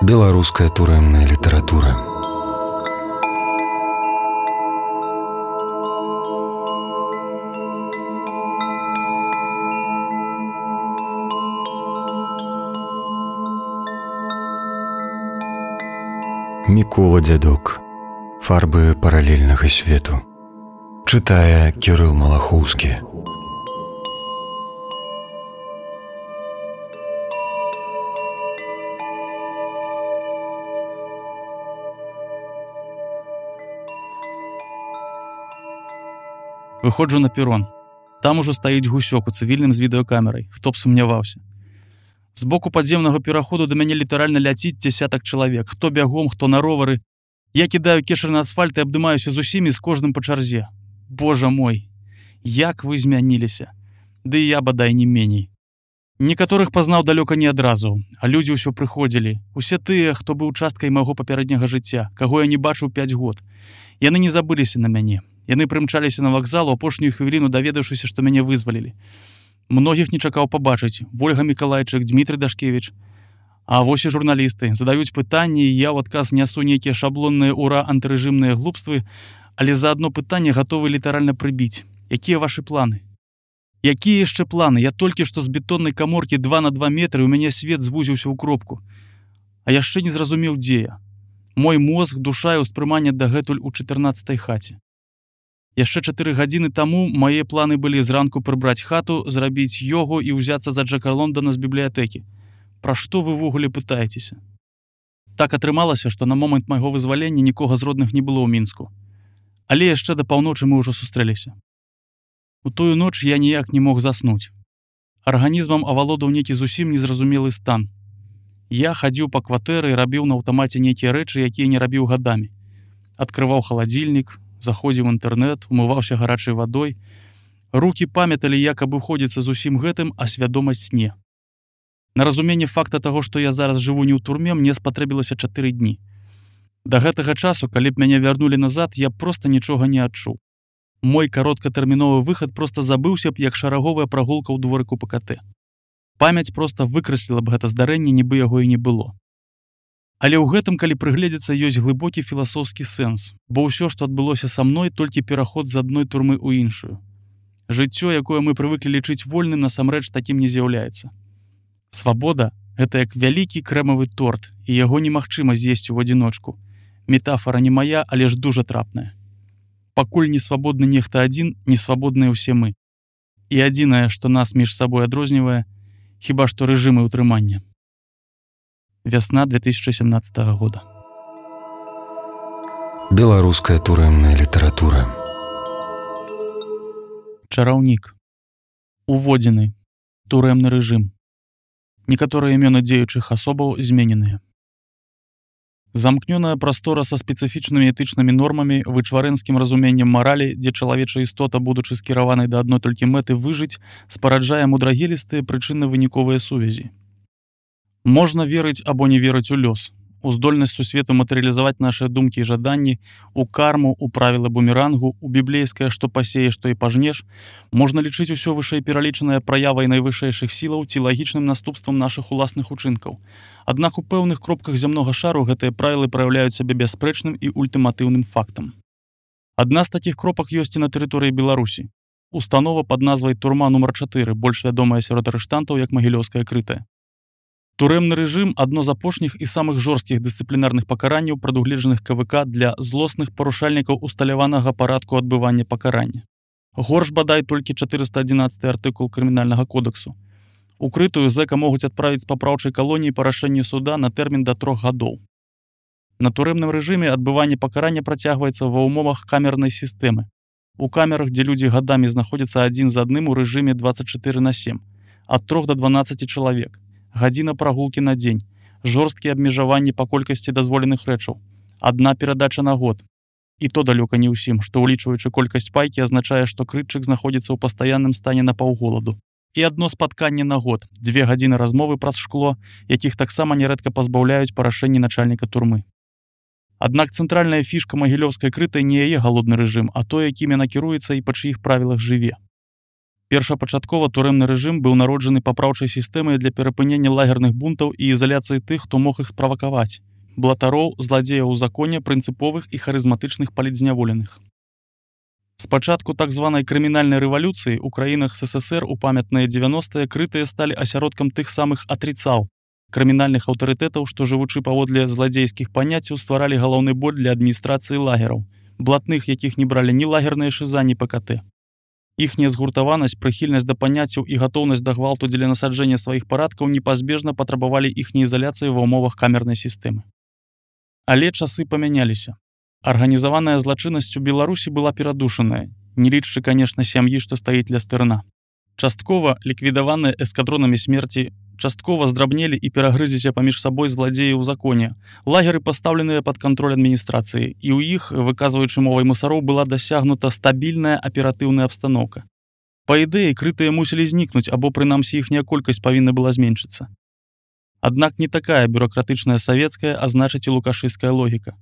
Беларуская турэмная літаратура. Мікола Дзядок. Фарбы паралельнага свету. Чытае Кірыл Малахоўскі. Выходжу на перон. Там ужо стаіць гусёк у цывільным з відэакамерай. Хто б сумняваўся. З боку падземнага пераходу да мяне літаральна ляціць дзясятак чалавек. Хто бягом, хто на ровары. Я кідаю кешыр на асфальт і абдымаюся з усімі, з кожным па чарзе. Божа мой, як вы змяніліся. Ды і я, бадай, не меней. Некаторых пазнаў далёка не адразу, а людзі ўсё прыходзілі. Усе тыя, хто быў часткай майго папярэдняга жыцця, каго я не бачыў 5 год. Яны не забыліся на мяне. Яны прымчаліся на вакзал у апошнюю хвіліну, даведаўшыся, што мяне вызвалілі. Многіх не чакаў пабачыць. Вольга Мікалайчык, Дмітрый Дашкевіч. А вось і журналісты. Задаюць пытанні, і я ў адказ нясу нейкія шаблонныя ура антырэжымныя глупствы, але за адно пытанне гатовы літаральна прыбіць. Якія вашы планы? Якія яшчэ планы? Я толькі што з бетоннай каморкі 2 на 2 метры, у мяне свет звузіўся ў кропку. А яшчэ не зразумеў, дзе я. Мой мозг, душа і ўспрыманне дагэтуль у 14-й хаце. Яшчэ 4 гадзіны таму мае планы былі зранку прыбраць хату, зрабіць йогу і ўзяцца за Джека Лондона з бібліятэкі. Пра што вы ўвогуле пытаецеся? Так атрымалася, што на момант майго вызвалення нікога з родных не было ў Мінску. Але яшчэ да паўночы мы ўжо сустрэліся. У тую ноч я ніяк не мог заснуць. Арганізмам авалодаў нейкі зусім незразумелы стан. Я хадзіў па кватэры і рабіў на аўтамаце нейкія рэчы, якія не рабіў гадамі. Адкрываў халадзільнік, заходзіў у інтэрнэт, умываўся гарачай вадой. Рукі памяталі, як абыходзіцца з усім гэтым, а свядомасць не. На разуменне факта таго, што я зараз жыву не ў турме, мне спатрэбілася 4 дні. Да гэтага часу, калі б мяне вярнулі назад, я проста нічога не адчуў. Мой кароткатэрміновы выхад проста забыўся б, як шараговая прагулка ў дворыку ПКТ. Памяць проста выкрасліла б гэта здарэнне, нібы яго і не было. Але ў гэтым, калі прыгледзецца, ёсць глыбокі філасофскі сэнс, бо ўсё, што адбылося са мной, толькі пераход з адной турмы ў іншую. Жыццё, якое мы прывыклі лічыць вольным, насамрэч такім не з'яўляецца. Свабода – гэта як вялікі крэмавы торт, і яго немагчыма з'есці ў адзіночку. Метафара не мая, але ж дужа трапная. Пакуль не свабодны нехта адзін, не свабодныя ўсе мы. І адзінае, што нас між сабой адрознівае, хіба што рэжымы ўтрымання. Вясна 2017 года. Беларуская турэмная літаратура. Чараўнік. Уводзены. Турэмны рэжым. Некаторыя імёны дзеючых асобаў змененыя. Замкнёная прастора са спецыфічнымі этычнымі нормамі, вычварэнскім разуменнем маралі, дзе чалавечая істота, будучы скіраванай да адной толькі мэты выжыць, спараджае мудрагелістыя прычынна-выніковыя сувязі. Можна верыць або не верыць у лёс, у здольнасць сусвету матэрыялізаваць нашыя думкі і жаданні, у карму, у правілы бумерангу, у біблейскае «што пасееш, то і пажнеш». Можна лічыць усё вышэй пералічанае праявай найвышэйшых сілаў ці лагічным наступствам нашых уласных учынкаў. Аднак у пэўных кропках зямнога шару гэтыя правілы праяўляюць сябе бясспрэчным і ультыматыўным фактам. Адна з такіх кропак ёсць і на тэрыторыі Беларусі. Установа пад назвай «Турма нумар 4», больш вядомая сярод арыштантаў як Магілёўская крытая. Турэмны рэжым – адно з апошніх і самых жорсткіх дысцыплінарных пакаранняў, прадугледжаных КВК для злосных парушальнікаў усталяванага парадку адбывання пакарання. Горш бадай толькі 411 артыкул крымінальнага кодексу. Укрытую зэка могуць адправіць з папраўчай калоніі па рашэнню суда на тэрмін да 3 гадоў. На турэмным рэжыме адбыванне пакарання працягваецца ва ўмовах камернай сістэмы. У камерах, дзе людзі гадамі знаходзяцца адзін з адным у рэжыме 24/7, ад 3 до 12 чалавек. Гадзіна прагулкі на дзень, жорсткія абмежаванні па колькасці дазволеных рэчаў, адна перадача на год. І то далёка не ўсім, што ўлічваючы колькасць пайкі азначае, што крытчык знаходзіцца ў пастаянным стане напаўголаду. І адно спатканне на год, 2 гадзіны размовы праз шкло, якіх таксама нярэдка пазбаўляюць па рашэнні начальніка турмы. Аднак цэнтральная фішка Магілёўскай крытай не яе галодны рэжым, а тое, якім яна кіруецца і па чыіх правілах жыве. Першапачаткова турэмны рэжым быў народжаны папраўчай сістэмай для перапынення лагерных бунтаў і ізаляцыі тых, хто мог іх справакаваць. Блатароў, зладзеяў у законе, прынцыповых і харызматычных палітзняволеных. Спачатку так званай крымінальнай рэвалюцыі ў краінах СССР у памятныя 90-е крытыя сталі асяродкам тых самых атрыцаў, крымінальных аўтарытэтаў, што жывучы паводле зладзейскіх паняццяў стваралі галоўны боль для адміністрацыі лагераў, блатных, якіх не бралі ні лагерныя шыза, ні ПКТ. Іхняя згуртаванасць, прыхільнасць да паняццяў і гатоўнасць да гвалту дзеля насаджэння сваіх парадкаў непазбежна патрабавалі іхняй ізаляцыі ва ўмовах камернай сістэмы. Але часы памяняліся. Арганізаваная злачыннасць у Беларусі была перадушаная, не лічачы, канешне, сям'і, што стаіць ля стырна. Часткова ліквідаваныя эскадронамі смерці, часткова здрабнелі і перагрызіся паміж сабой зладзеі ў законе. Лагеры пастаўленыя пад кантроль адміністрацыі, і ў іх, выказваючы мовай мусароў, была дасягнута стабільная аператыўная абстаноўка. Па ідэі, крытыя мусілі знікнуць, або прынамсі іхняя колькасць павінна была зменшыцца. Аднак не такая бюрократычная савецкая, а значыць і лукашыская логіка.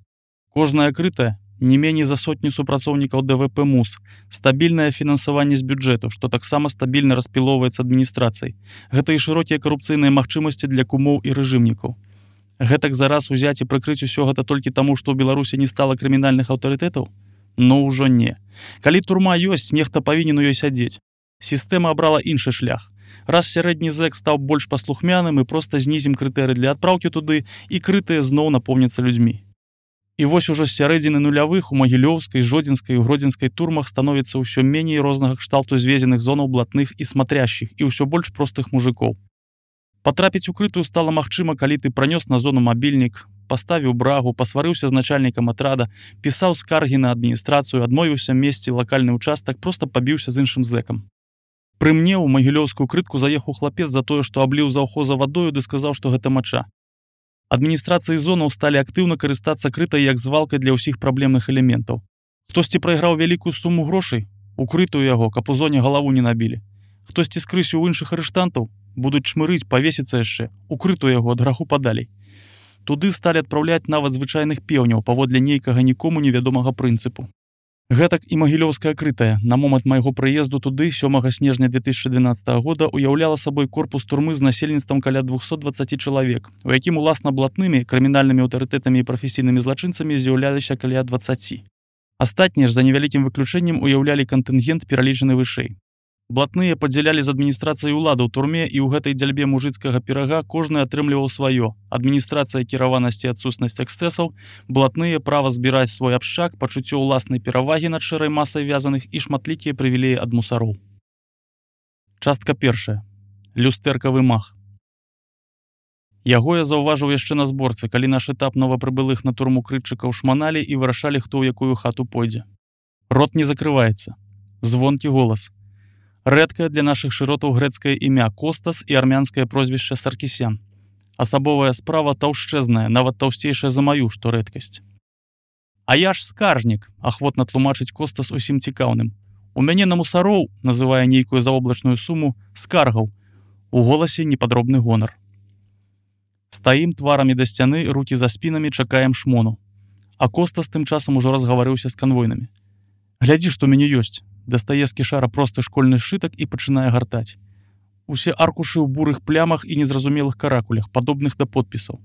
Кожная крытая, не меней за сотню супрацоўнікаў ДВП МУС, стабільнае фінансаванне з бюджэту, што таксама стабільна распілоўваецца адміністрацыяй. Гэта і шырокія карупцыйныя магчымасці для кумоў і рэжымнікаў. Гэтак зараз узяць і прыкрыць усё гэта толькі таму, што ў Беларусі не стала крымінальных аўтарытэтаў? Ну ўжо не. Калі турма ёсць, нехта павінен у ёй сядзець. Сістэма абрала іншы шлях. Раз сярэдні зэк стаў больш паслухмяным, і проста знізім крытэры для адпраўкі туды, і крытыя зноў напоўняцца людзьмі. І вось ужо з сярэдзіны нулявых у Магілёўскай, Жодзінскай і Гродзенскай турмах становіцца ўсё меней рознага кшталту звезеных зонаў блатных і смотрящих, і ўсё больш простых мужикоў. Патрапіць у крытую стала магчыма, калі ты пранёс на зону мабільнік, паставіў брагу, пасварыўся з начальнікам атрада, пісаў скаргі на адміністрацыю, адмовіўся месці лакальны ўчастак, проста пабіўся з іншым зэкам. Пры мне ў Магілёўскую крытку заехаў хлапец за тое, што абліў заўхоза вадою ды сказаў, што гэта мача. Адміністрацыі зонаў сталі актыўна карыстацца крытай як звалкай для ўсіх праблемных элементаў. Хтосьці прайграў вялікую суму грошай, укрытую яго, каб у зоне галаву не набілі. Хтосьці скрысіў у іншых арыштантаў, будуць чмырыць, павесіцца яшчэ, укрытую яго ад граху падалей. Туды сталі адпраўляць нават звычайных пеўняў паводле нейкага нікому невядомага прынцыпу. Гэтак і Магілёўская крытая на момант майго прыезду туды 7 снежня 2012 года уяўляла сабой корпус турмы з насельніцтвам каля 220 чалавек, у якім уласна блатнымі, крымінальнымі аўтарытэтамі і прафесійнымі злачынцамі з'яўляліся каля 20. Астатнія ж за невялікім выключэннем уяўлялі кантынгент, пералічаны вышэй. Блатныя падзялялі з адміністрацыяй уладу ў турме, і ў гэтай дзяльбе мужыцкага пірага кожны атрымліваў сваё. Адміністрацыя кіраванасці і адсутнасць эксцэсаў, блатныя права збіраць свой абшчак, пачуццё ўласнай перавагі над шэрай масай вязаных і шматлікія прывілеі ад мусароў. Частка першая. Люстэркавы мах. Яго я заўважыў яшчэ на зборцы, калі наш этап новапрыбылых на турму крытчыкаў шманалі і вырашалі, хто ў якую хату пойдзе. Рот не закрываецца. Звонкі голас. Рэдкае для нашых шыротаў грэцкае імя Костас і армянскае прозвішча Саркісян. Асабовая справа таўшчэзная, нават таўсцейшая за маю, што рэдкасць. А я ж скаржнік, ахвотна тлумачыць Костас усім цікаўным. У мяне на мусароў, называе нейкую заоблачную суму, скаргаў. У голасе непадробны гонар. Стаім тварамі да сцяны, рукі за спінамі, чакаем шмону. А Костас тым часам ужо разгаварыўся з канвойнымі. Глядзі, што ў мяне ёсць. Дастае з кішара просты школьны сшытак і пачынае гартаць. Усе аркушы ў бурых плямах і незразумелых каракулях, падобных да подпісаў.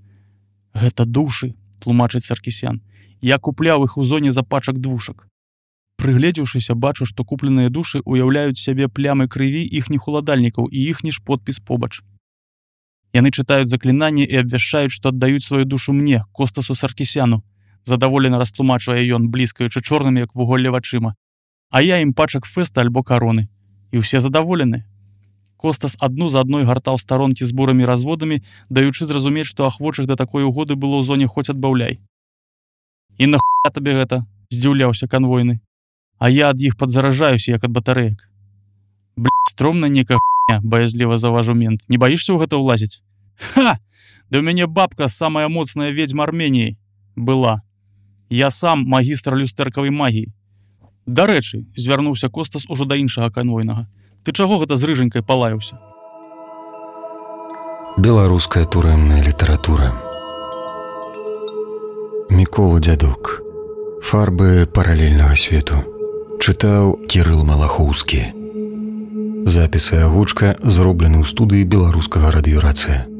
Гэта душы, тлумачыць Саркісян. Я купляў іх у зоне за пачак двушак. Прыгледзеўшыся, бачу, што купленыя душы уяўляюць сябе плямы крыві іхніх уладальнікаў і іхні ж подпіс побач. Яны чытаюць заклінанні і абвяшчаюць, што аддаюць сваю душу мне, Костасу Саркісяну. Задаволена растлумачвае ён, бліскаючы чорнымі, як вуголле вачыма. А я ім пачак фэста альбо кароны. І ўсе задаволены. Костас адну за адной гартаў старонкі з бурымі разводамі, даючы зразумець, што ахвочых да такой угоды было ў зоне хоць адбаўляй. І нахуя табе гэта? Здзіўляўся канвойны. А я ад іх падзаражаюся, як ад батарэек. Стромна нейкая хуйня, баязліва заўважыў мент. Не баішся ў гэта ўлазіць? Ха! Да ў мяне бабка самая моцная ведзьма Арменіі. Была. Я сам магістр люстэркавай магіі. Дарэчы, звярнуўся Костас ужо да іншага канвойнага. Ты чаго гэта з рыжанькай палаяўся? Беларуская турэмная літаратура. Мікола Дзядок. Фарбы паралельнага свету. Чытаў Кірыл Малахоўскі. Запісы агучка зроблены ў студыі беларускага радыёрацыя.